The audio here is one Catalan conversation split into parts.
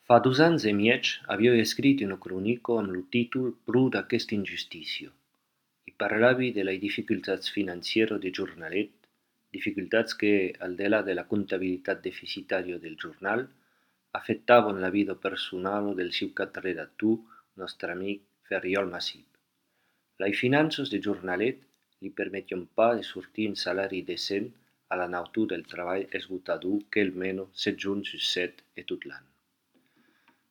Fa 2 ans e mieg aviò escrit una cronico amb lo títol «Pro d'aquesta injustícia» i parlavi de las dificultats financieras del jornalet, dificultats que, al delà de la contabilitat deficitària del jornal, afectaven la vida personal del seu capredactor, nostre amic Ferriol Massip. Les finances del jornalet li permetien pas de sortir un salari decent a la natura del treball esgotador que el mena 7 jorns sus 7 e tot l'any.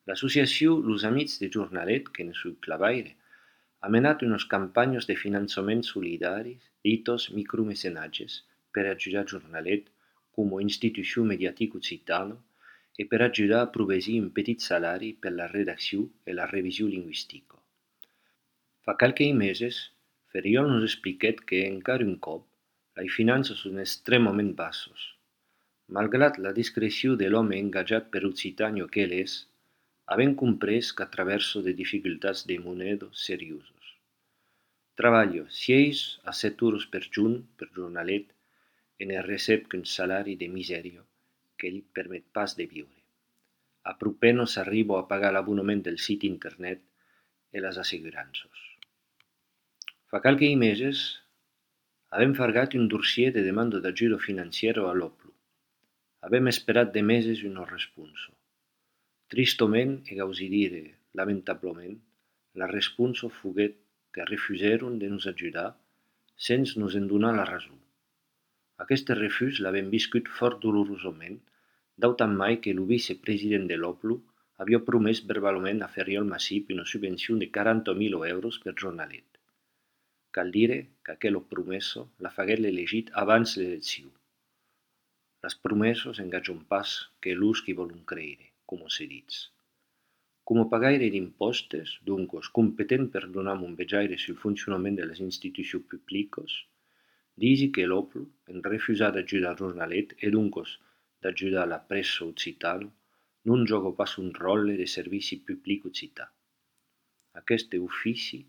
L'associació Los Amics de Jornalet, que ne suc clavaire, ha menat unes campanyes de finançament solidaris ditos micromecenatges per ajudar Jornalet com a institució mediàtica occitana e per ajudar a provesir un petit salari per la redacció e la revisió lingüística. Fa qualques mesos, Ferriol nos expliquèt que encara un cop les finances són extremament basses. Malgrat la discreció de l'home engajat per Occitània que ell és, havent comprès que traversa de dificultats de moneda serioses. Treballa 6 a 7 hores per junt per jornalet e ne recep qu'un salari de misèria que li permet pas de viure. Apropenos arriba a pagar l'abonament del sit internet e les assegurances. Fa qualques mesos avem fargat un dossier de demanda d'ajuda financiera a l'OPLU. Avem esperat de mesos una responsa. Tristament, e gausi dire lamentablement, la responsa foguèt que refusèron de nos ajudar sense nos en donar la raó. Aquest refús l'avem viscut fort dolorosament, d'autant mai que el vicepresident de l'OPLU havia promès verbalment a Ferriol Massip una subvenció de 40.000 euros per jornalet. Cal dire que aquella promesa la faguèt l'elegit abans l'elecció. Les promeses engagen pas que l'ús qui volen creure, com se dit. Com a pagaire d'impostos, doncs competent per donar un vejaire sul funcionament de les institucions públiques, disi que l'OPLU, en refusar d'ajudar Jornalet e doncs d'ajudar la pressa occitana, non joga pas un rol de servici públic occità. Aquest ofici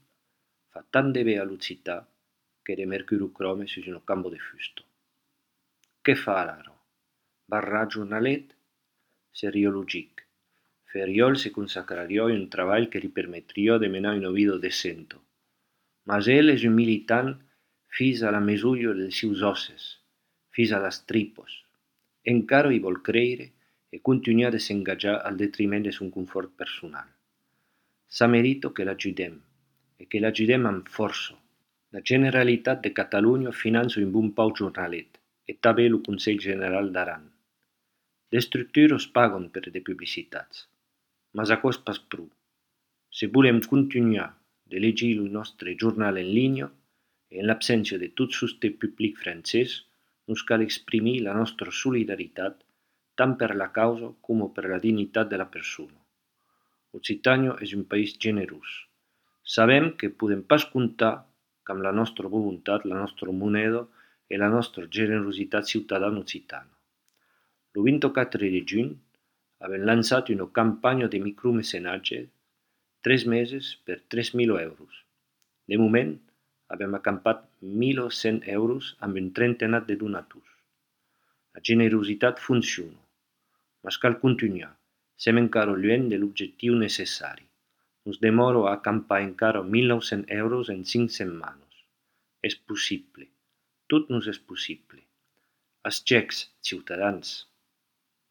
fa tant de bé a l'occità que de mercurocrome sus un campo de fusta. Què fa ara? Barrar Jornalet? Seria logic. Ferriol se consacraria a un treball que li permetria de menar una vida decenta. Mas ell és un militant fins a la mesura dels seus osses, fins a les tripes. Encara hi vol creure e continua de s'engajar al detriment de son confort personal. Sa merita que l'ajudem, e que l'ajudem amb força. La Generalitat de Catalunya finança un bon pau jornalet, e també el Consell General d'Aran. Les estructures paguen per de publicitats, mas a cost pas prou. Si volem continuar de llegir el nostre jornal en línia, e en l'absència de tot sosté públic francès, nos cal exprimir la nostra solidaritat tant per la causa com per la dignitat de la persona. Occitània és un país generós. Sabem que podem pas comptar amb la nostra voluntat, la nostra moneda e la nostra generositat ciutadana occitana. El 24 de juny avem lançat una campanya de micromecenatge 3 mesos per 3.000 euros. De moment, avem acampat 1.100 euros amb un trentenat de donators. La generositat funciona, mas cal continuar. Sem encara lluny de l'objectiu necessari. Nos demora a acampar encara 1.900 euros en 5 setmanes. És possible. Tot nos és possible. Els xecs, ciutadans.